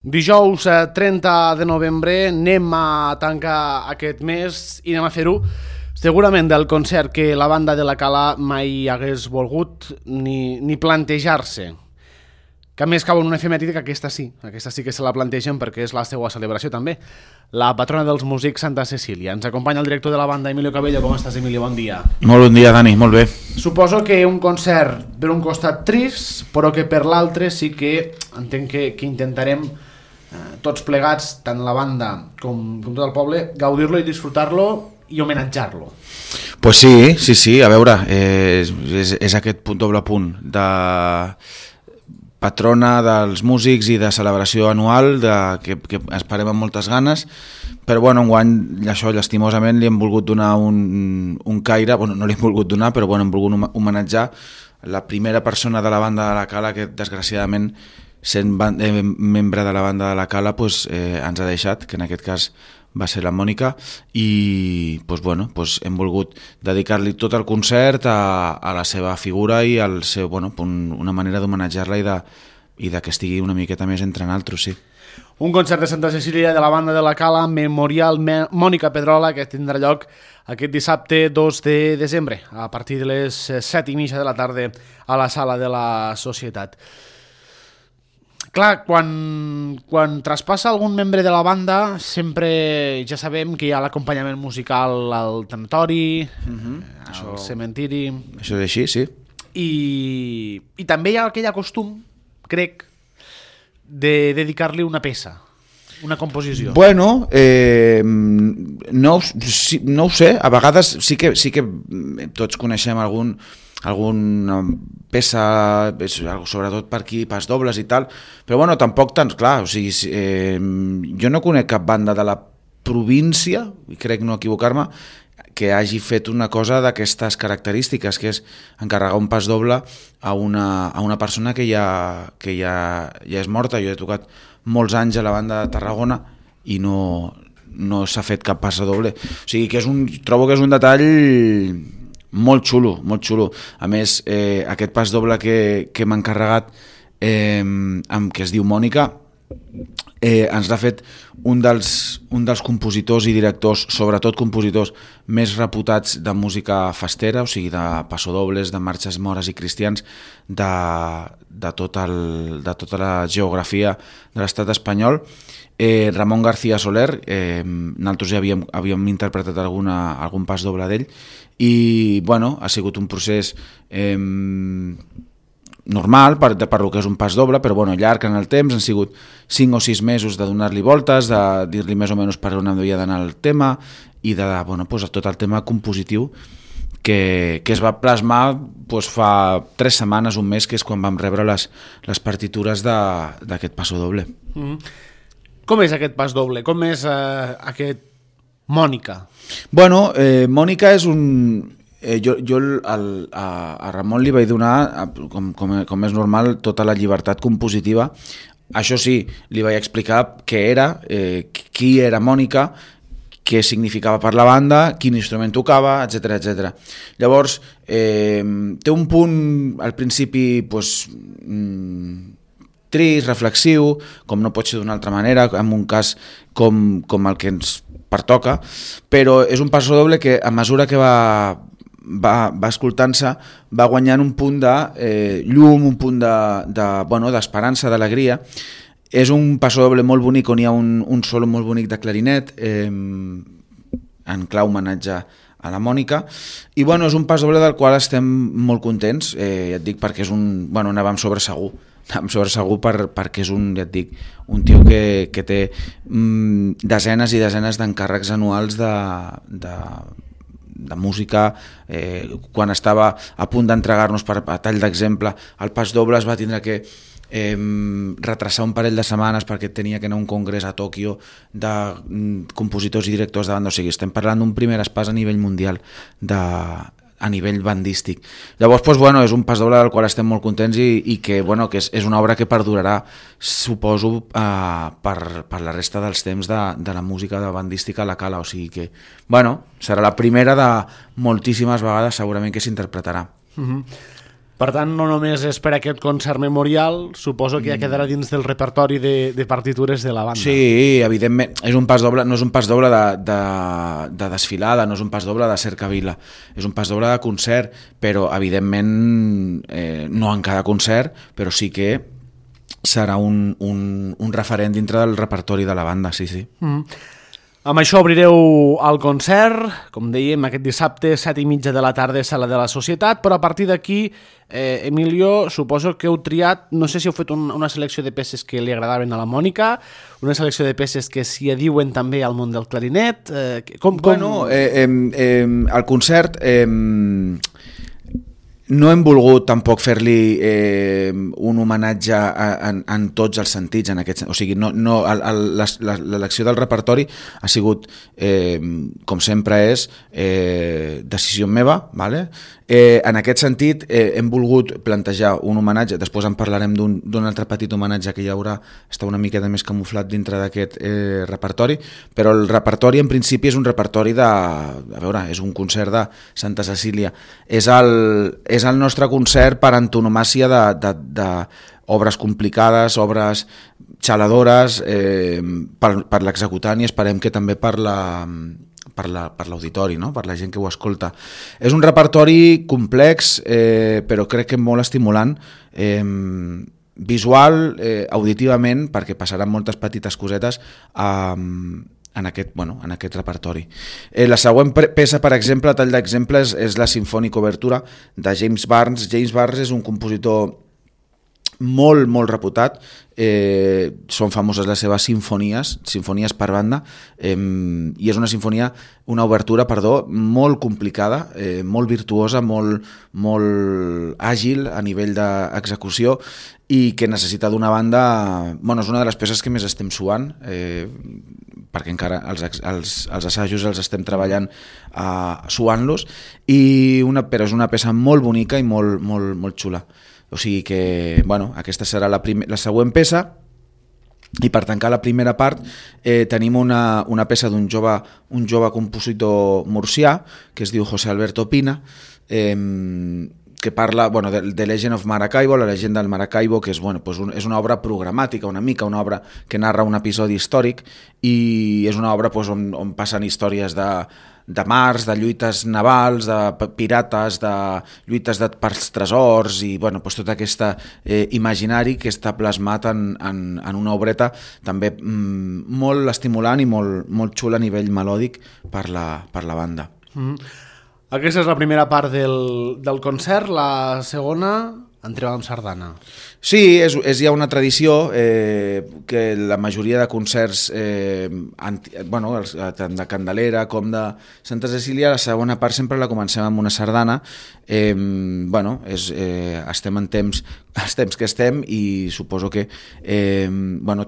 Dijous 30 de novembre anem a tancar aquest mes i anem a fer-ho segurament del concert que la banda de la Cala mai hagués volgut ni plantejar-se. Que a més cau en una efemèride que aquesta sí que se la plantegen perquè és la seva celebració també. La patrona dels músics, Santa Cecília. Ens acompanya el director de la banda, Emilio Cabello. Com estàs, Emilio? Bon dia. Molt bon dia, Dani, molt bé. Suposo que un concert per un costat trist, però que per l'altre sí que entenc que intentarem tots plegats, tant la banda com tot el poble, gaudir-lo i disfrutar-lo i homenatjar-lo. Pues sí, a veure, és aquest doble punt de patrona dels músics i de celebració anual que esperem amb moltes ganes, però bueno, enguany això llastimosament li hem volgut donar un caire, bueno, no li hem volgut donar, però bueno, hem volgut homenatjar la primera persona de la banda de la Cala que desgraciadament sent membre de la banda de la Cala ens ha deixat, que en aquest cas va ser la Mònica, i hem volgut dedicar-li tot el concert a la seva figura i al seu, una manera d'homenatjar-la i de que estigui una miqueta més entre naltros, sí. Un concert de Santa Cecília de la banda de la Cala, Memorial Mònica Pedrola, que tindrà lloc aquest dissabte 2 de desembre, a partir de les 7:30 de la tarda a la sala de la Societat. Clar, quan traspassa algun membre de la banda, sempre ja sabem que hi ha l'acompanyament musical al tanatori, al cementiri... Això és així, sí. I també hi ha aquell costum, crec, de dedicar-li una peça, una composició. Bueno, no ho sé, a vegades sí que tots coneixem alguna peça, sobretot per aquí, pas dobles i tal, però bueno, tampoc tant, clar, o sigui, jo no conec cap banda de la província, i crec no equivocar-me, que hagi fet una cosa d'aquestes característiques, que és encarregar un pas doble a una persona que ja és morta. Jo he tocat molts anys a la banda de Tarragona i no s'ha fet cap pas doble. O sigui, que trobo que és un detall molt xulo, molt xulo. A més, aquest pas doble que m'ha encarregat, que es diu Mònica, ens l'ha fet un dels compositors i directors, sobretot compositors més reputats de música festera, o sigui, de passodobles, de marxes mores i cristians de tota la geografia de l'estat espanyol. Ramon García Soler, nosaltres ja havíem interpretat algun pas doble d'ell, i bueno, ha sigut un procés normal per lo que és un pas doble, però bueno, llarg en el temps, han sigut 5 o 6 mesos de donar-li voltes, de dir-li més o menys per on havia d'anar el tema i de tot el tema compositiu que es va plasmar fa 3 setmanes, un mes, que és quan vam rebre les partitures d'aquest passo doble. Com és aquest pas doble? Com és aquest Mònica? Bueno, Mònica és un... Jo a Ramon li vaig donar, com és normal, tota la llibertat compositiva. Això sí, li vaig explicar què era, qui era Mònica, què significava per la banda, quin instrument tocava, etc. Llavors, té un punt al principi trist, reflexiu, com no pot ser d'una altra manera, en un cas com el que ens pertoca, però és un passo doble que a mesura que va escoltant-se, va guanyant un punt de llum, un punt d'esperança, d'alegria. És un passo doble molt bonic on hi ha un solo molt bonic de clarinet, en clau homenatge a la Mònica, i bueno, és un pas doble del qual estem molt contents, ja et dic, perquè és anàvem sobre segur perquè és un tio que té desenes i desenes d'encàrrecs anuals de música. Quan estava a punt d'entregar-nos, a tall d'exemple, el pas doble es va tindre que retrasar un parell de setmanes perquè tenia que anar a un congrés a Tòquio de compositors i directors de banda. O sigui, estem parlant d'un primer pas a nivell mundial a nivell bandístic. Llavors, és un pas doble del qual estem molt contents i que és una obra que perdurarà, suposo, per la resta dels temps de la música de bandística a la Cala. O sigui que, serà la primera de moltíssimes vegades segurament que s'interpretarà. Per tant, no només és per aquest concert memorial, suposo que ja quedarà dins del repertori de partitures de la banda. Sí, evidentment, és un pas doble, no és un pas doble de desfilada, no és un pas doble de cercavila, és un pas doble de concert, però evidentment no en cada concert, però sí que serà un referent dintre del repertori de la banda, sí. Amb això obrireu el concert, com dèiem, aquest dissabte, 7:30 de la tarda, Sala de la Societat, però a partir d'aquí, Emilio, suposo que heu triat, no sé si heu fet una selecció de peces que li agradaven a la Mònica, una selecció de peces que s'hi adiuen també al món del clarinet. Bueno, el concert... no hem volgut tampoc fer-li un homenatge en tots els sentits, en aquest, o sigui, l'elecció del repertori ha sigut, com sempre és, decisió meva, ¿vale? En aquest sentit hem volgut plantejar un homenatge, després en parlarem d'un altre petit homenatge que hi haurà, està una miqueta més camuflat dintre d'aquest repertori, però el repertori en principi és un repertori a veure, és un concert de Santa Cecília, és el nostre concert per antonomàcia d'obres complicades, obres xaladores per l'executant i esperem que també per l'auditori, no? Per la gent que ho escolta. És un repertori complex, però crec que molt estimulant, visual, auditivament, perquè passaran moltes petites cosetes en aquest repertori. La següent peça, per exemple, a tall d'exemple, és la Sinfònica Obertura de James Barnes. James Barnes és un compositor molt, molt reputat, són famoses les seves sinfonies per banda, i és una obertura, molt complicada, molt virtuosa, molt àgil a nivell d'execució i que necessita d'una banda... Bueno, és una de les peces que més estem suant, perquè encara els assajos els estem treballant suant-los, però és una peça molt bonica i molt xula. O sigui que, bueno, aquesta serà la següent peça, i per tancar la primera part tenim una peça d'un jove compositor murcià que es diu José Alberto Pina, que parla de Legend of Maracaibo, la llegenda del Maracaibo, que és una obra programàtica, una obra que narra un episodi històric, i és una obra on passen històries de mars, de lluites navals, de pirates, de lluites pels tresors, i tot aquest imaginari que està plasmat en una obreta també molt estimulant i molt xula a nivell melòdic per la banda. Aquesta és la primera part del concert. La segona, entreu amb sardana. Sí, és ja una tradició que la majoria de concerts, tant de Candelera com de Santa Cecília, la segona part sempre la comencem amb una sardana. Estem en temps que estem, i suposo que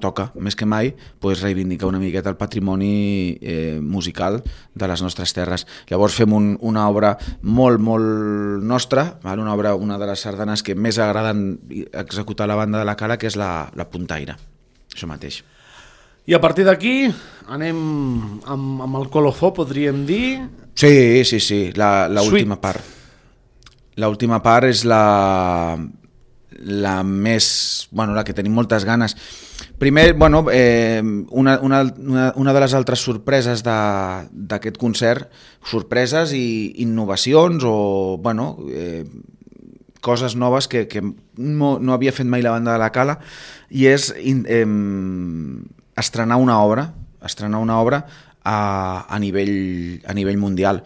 toca més que mai reivindicar una miqueta el patrimoni musical de les nostres terres. Llavors fem una obra molt, molt nostra, una de les sardanes que més agraden executar la banda de la Cala, que és la puntaire, això mateix. I a partir d'aquí anem amb el colofó, podríem dir? Sí, l'última part. L'última part és la més... la que tenim moltes ganes. Primer, una de les altres sorpreses d'aquest concert, sorpreses i innovacions o, coses noves que no havia fet mai la banda de la Cala, i és estrenar una obra a nivell mundial.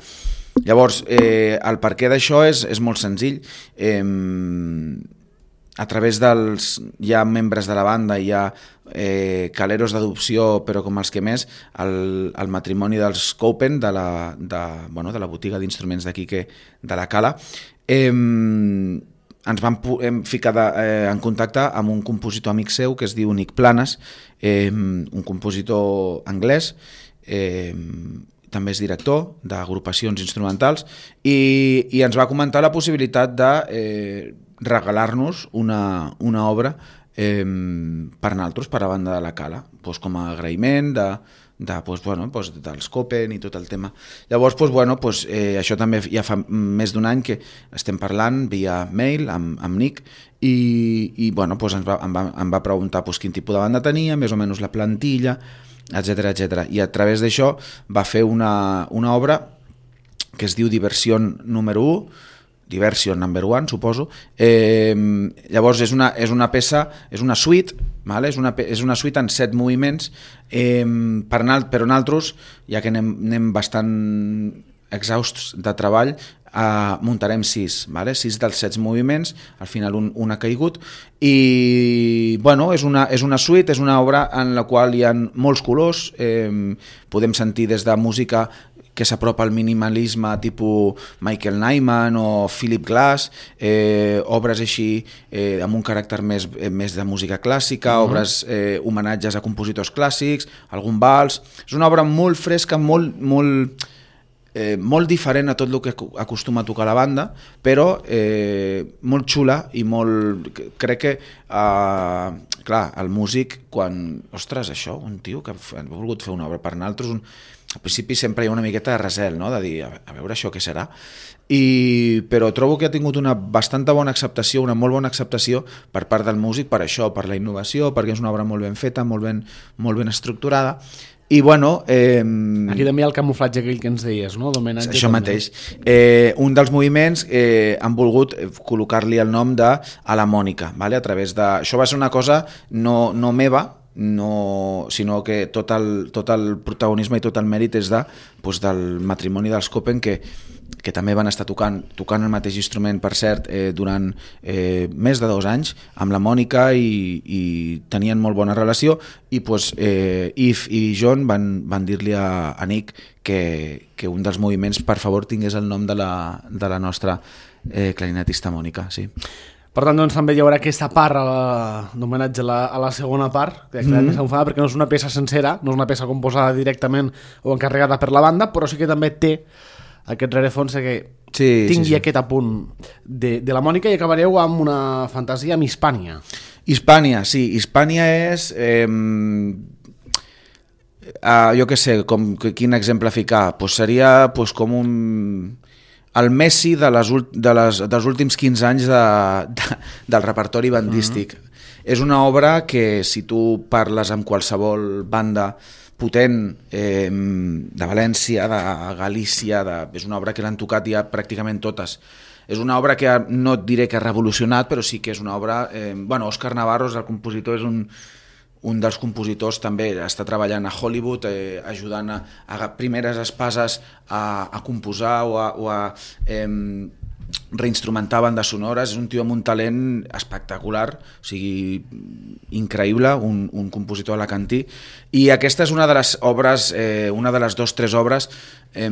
Llavors, el perquè d'això és molt senzill. A través hi ha membres de la banda, hi ha caleros d'adopció, però com els que més, el matrimoni dels Copen, de la botiga d'instruments d'aquí, de la Cala, ens vam ficar en contacte amb un compositor amic seu que es diu Nick Planas, un compositor anglès, també és director d'agrupacions instrumentals, i ens va comentar la possibilitat de regalar-nos una obra per nosaltres, per a la banda de la Cala, com a agraïment dels Copen i tot el tema. Llavors, això també ja fa més d'un any que estem parlant via mail amb Nick i em va preguntar quin tipus de banda tenia, més o menys la plantilla, etc. I a través d'això va fer una obra que es diu Diversion número 1, Diversion number 1, suposo. Llavors és una peça, és una suite, vale? És una suite en 7 moviments, però nosaltres, ja que anem bastant exhausts de treball, muntarem 6, vale? 6 dels 7 moviments, al final un ha caigut, i és una suite, és una obra en la qual hi ha molts colors, podem sentir des de música que s'apropa al minimalisme tipus Michael Nyman o Philip Glass, obres així amb un caràcter més de música clàssica, obres homenatges a compositors clàssics, algun vals. És una obra molt fresca, molt diferent a tot el que acostuma a tocar la banda, però molt xula i molt... Crec que, clar, el músic, quan... Ostres, això, un tio que ha volgut fer una obra per nosaltres, al principi sempre hi ha una miqueta de recel, no? De dir, a veure això què serà, però trobo que ha tingut una bastanta bona acceptació, una molt bona acceptació per part del músic, per això, per la innovació, perquè és una obra molt ben feta, molt ben estructurada, i aquí també hi ha el camuflatge aquell que ens deies, no? Això mateix. Un dels moviments han volgut col·locar-li el nom de a la Mònica, vale? A través de... Això va ser una cosa no meva, sinó que tot el protagonisme i tot el mèrit és del matrimoni dels Copen, que també van estar tocant el mateix instrument, per cert, durant més de 2 anys amb la Mònica, i tenien molt bona relació, i Yves i John van dir-li a Nick que un dels moviments per favor tingués el nom de la nostra clarinetista Mònica, sí. Per tant, doncs, també hi haurà aquesta part d'homenatge a la segona part, que perquè no és una peça sencera, no és una peça composada directament o encarregada per la banda, però sí que també té aquest rerefons que tingui aquest apunt de la Mònica, i acabareu amb una fantasia amb Hispània. Hispània, sí. Hispània és... jo què sé, quin exemple ficar? Seria com el Messi dels últims 15 anys del repertori bandístic. És una obra que, si tu parles amb qualsevol banda potent de València, de Galícia, és una obra que l'han tocat ja pràcticament totes. És una obra que no et diré que ha revolucionat, però sí que és una obra... Òscar Navarro, el compositor, és un dels compositors, també està treballant a Hollywood, ajudant a primeres espases a composar o a reinstrumentar bandes sonores. És un tio amb un talent espectacular, o sigui, increïble, un compositor alacantí, i aquesta és una de les obres, una de les 2 o 3 obres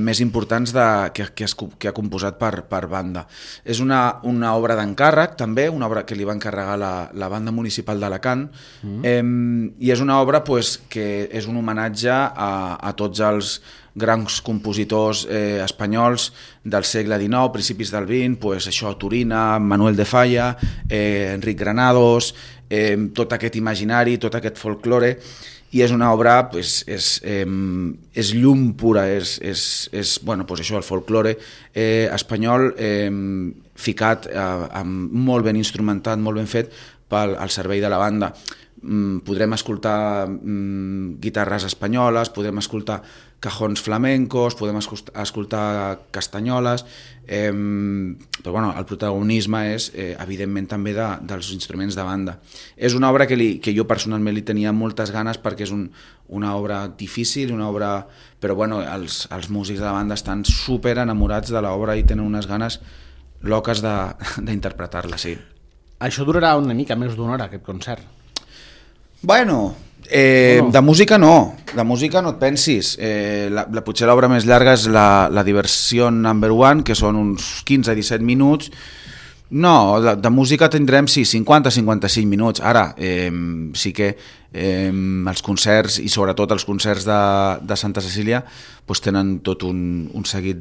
més importants que ha composat per banda. És una obra d'encàrrec, també, una obra que li va encarregar la banda municipal d'Alacant, i és una obra que és un homenatge a tots els grans compositors espanyols del segle XIX, principis del XX, això, Turina, Manuel de Falla, Enric Granados, tot aquest imaginari, tot aquest folklore, i és una obra, és llum pura, és això, el folklore espanyol ficat, molt ben instrumentat, molt ben fet al servei de la banda. Podrem escoltar guitarres espanyoles, podem escoltar cajons flamencos, podem escoltar castanyoles, però el protagonisme és evidentment també dels instruments de banda. És una obra que jo personalment li tenia moltes ganes, perquè és una obra difícil, però els músics de la banda estan super enamorats de l'obra i tenen unes ganes loques d'interpretar-la, sí. Això durarà una mica més d'una hora, aquest concert. De música no et pensis. Potser l'obra més llarga és la Diversion number 1, que són uns 15-17 minuts. No, de música tindrem 50-55 minuts. Ara, sí que els concerts, i sobretot els concerts de Santa Cecília, tenen tot un seguit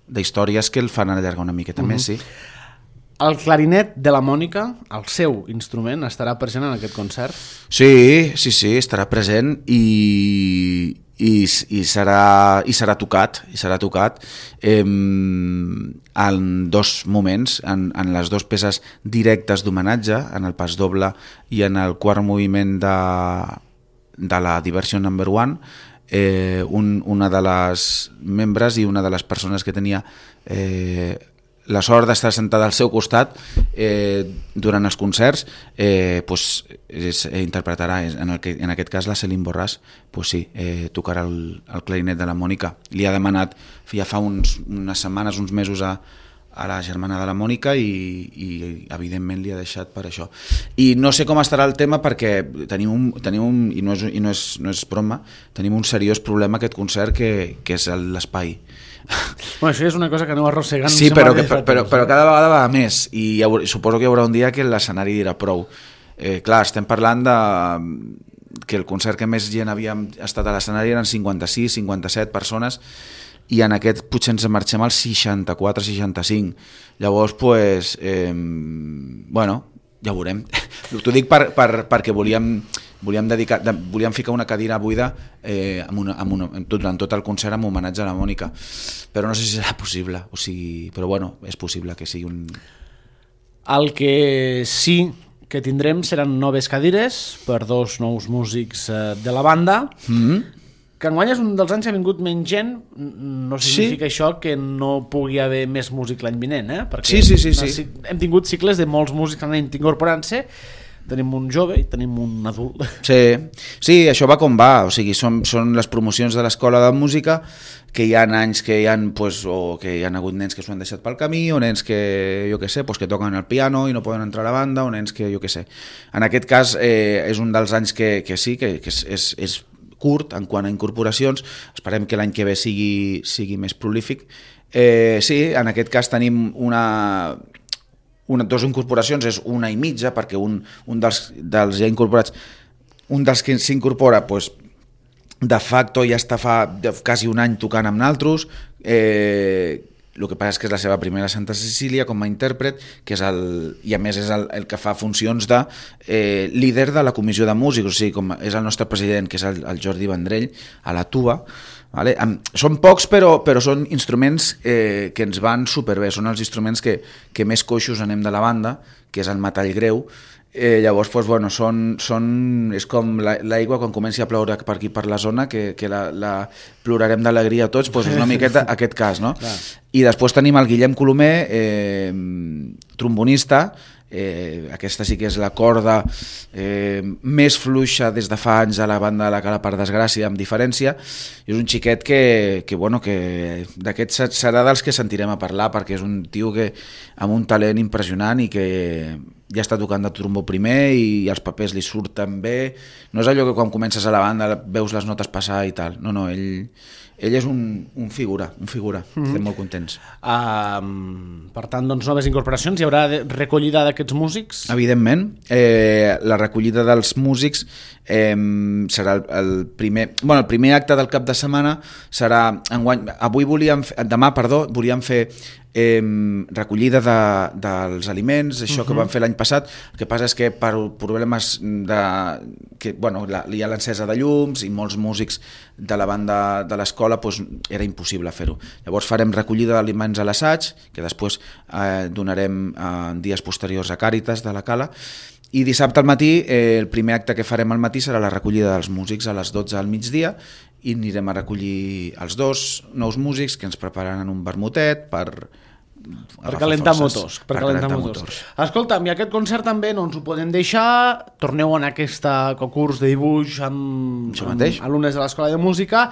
d'històries que el fan allargar una miqueta més, sí. El clarinet de la Mònica, el seu instrument, estarà present en aquest concert? Sí, estarà present i serà tocat, en dos moments, en les dues peces directes d'homenatge, en el pas doble i en el quart moviment de la Diversion No. 1. Una de les membres i una de les persones que tenia la sort d'estar sentada al seu costat durant els concerts, interpretarà, en aquest cas la Céline Borràs, tocarà el clarinet de la Mònica. Li ha demanat ja fa unes setmanes, uns mesos a la germana de la Mònica i evidentment li ha deixat per això. I no sé com estarà el tema perquè tenim i no és broma, tenim un seriós problema aquest concert que és l'espai. Bueno, això és una cosa que aneu arrossegant. Sí, però cada vegada va més i suposo que hi haurà un dia que l'escenari dirà prou. Clar, estem parlant que el concert que més gent havia estat a l'escenari eren 56, 57 persones i en aquest potser ens marxem als 64, 65. Llavors, bueno, ja ho veurem. T'ho dic perquè volíem ficar una cadira buida durant tot el concert amb homenatge a la Mònica, però no sé si serà possible, però bueno, és possible que sigui un... El que sí que tindrem seran noves cadires per dos nous músics de la banda, que enguany és un dels anys que ha vingut menys gent. No significa això que no pugui haver més músic l'any vinent, perquè sí. Hem tingut cicles de molts músics que han anat incorporant-se. Tenim un jove i tenim un adult. Sí, això va com va, o sigui, són les promocions de l'escola de música, que hi ha anys que que hi ha hagut nens que s'ho han deixat pel camí, o nens que, jo què sé, que toquen el piano i no poden entrar a la banda, o nens que, jo què sé. En aquest cas és un dels anys que sí, que és curt en quant a incorporacions, esperem que l'any que ve sigui més prolífic. Sí, en aquest cas tenim dues incorporacions, és una i mitja, perquè un dels ja incorporats, un dels que s'incorpora, de facto ja està fa quasi un any tocant amb naltros, el que passa és que és la seva primera Santa Cecília com a intèrpret, i a més és el que fa funcions de líder de la comissió de músics, o sigui, com és el nostre president, que és el Jordi Vendrell, a la tuba. Vale? Són pocs, però són instruments que ens van superbé, són els instruments que més coixos anem de la banda, que és el metall greu. Llavors, és com l'aigua quan comenci a ploure per aquí per la zona, que la plorarem d'alegria tots, és una miqueta aquest cas, no? I després tenim el Guillem Colomer, trombonista. Aquesta sí que és la corda més fluixa des de fa anys a la banda de la Cala, per desgràcia, amb diferència. És un xiquet que d'aquest serà dels que sentirem a parlar, perquè és un tio amb un talent impressionant i que ja està tocant de trombó primer i els papers li surten bé. No és allò que quan comences a la banda veus les notes passar i tal. No, ell és un figura. Estem molt contents. Per tant, doncs, noves incorporacions. Hi haurà recollida d'aquests músics? Evidentment. La recollida dels músics serà el primer acte del cap de setmana serà enguany. Demà volíem fer recollida dels aliments, això que vam fer l'any passat. El que passa és que per problemes hi ha l'encesa de llums i molts músics de la banda de l'escola, era impossible fer-ho. Llavors farem recollida d'aliments a l'assaig, que després donarem en dies posteriors a Càritas de la Cala, i dissabte al matí, el primer acte que farem al matí serà la recollida dels músics a les 12 al migdia, i anirem a recollir els dos nous músics que ens prepararan un vermutet per calentar motors. Escolta'm, i aquest concert també no ens ho podem deixar. Torneu en aquest concurs de dibuix amb alumnes de l'Escola de Música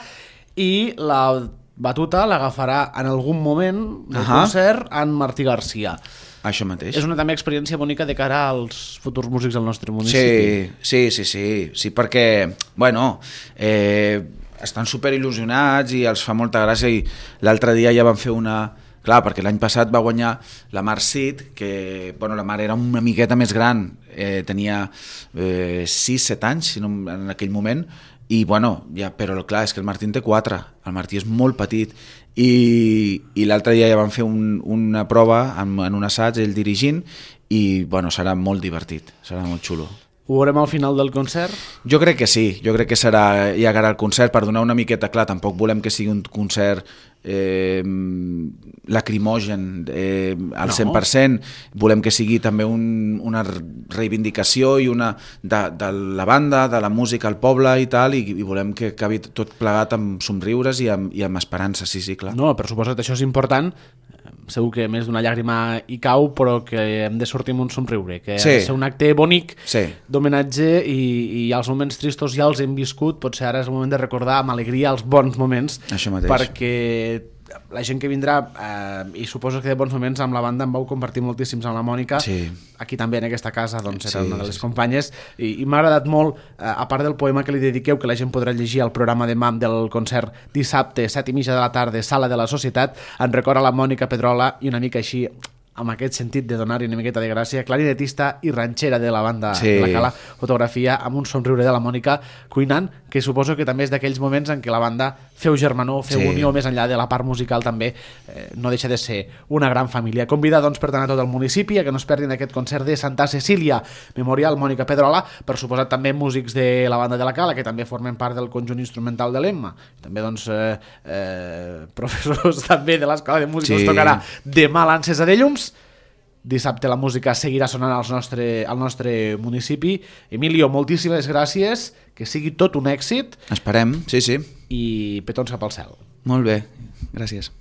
i la batuta l'agafarà en algun moment del concert en Martí Garcia. Això mateix. És una també experiència bonica de cara als futurs músics del nostre municipi. Sí, perquè estan superil·lusionats i els fa molta gràcia, i l'altre dia ja van fer una... Clar, perquè l'any passat va guanyar la Mar Cid, que la Mar era una miqueta més gran, tenia 6-7 anys en aquell moment, i bueno, però clar, és que el Martín té 4, el Martí és molt petit i l'altre dia ja vam fer una prova en un assaig, ell dirigint, i bueno, serà molt divertit, serà molt xulo. Ho veurem al final del concert? Jo crec que sí, jo crec que serà ja cara al concert, per donar una miqueta clar, tampoc volem que sigui un concert lacrimogen al 100%, volem que sigui també una reivindicació i de la banda, de la música al poble i tal, i volem que acabi tot plegat amb somriures i amb esperança, sí, clar. No, per suposat, això és important. Segur que més d'una llàgrima hi cau, però que hem de sortir amb un somriure, que ha de ser un acte bonic d'homenatge i els moments tristos ja els hem viscut, potser ara és el moment de recordar amb alegria els bons moments, perquè la gent que vindrà, i suposo que de bons moments amb la banda em vau compartir moltíssims amb la Mònica, aquí també en aquesta casa doncs era una de les companyes, i m'ha agradat molt, a part del poema que li dediqueu, que la gent podrà llegir al programa demà del concert dissabte 7:30 de la tarda, Sala de la Societat, en record a la Mònica Pedrola, i una mica així amb aquest sentit de donar-hi una miqueta de gràcia, clarinetista i ranxera de la banda de la Cala, fotografia amb un somriure de la Mònica cuinant, que suposo que també és d'aquells moments en què la banda feu germanor, feu unió, més enllà de la part musical també, no deixa de ser una gran família. Convida doncs per tant a tot el municipi a que no es perdin aquest concert de Santa Cecília, Memorial Mònica Pedrola, per suposat també músics de la banda de la Cala, que també formen part del conjunt instrumental de l'Emma, també doncs professors també de l'Escola de Música, us tocarà demà l'encesa de llums. Dissabte la música seguirà sonant al nostre municipi. Emilio, moltíssimes gràcies, que sigui tot un èxit. Esperem, sí. I petons cap al cel. Molt bé, gràcies.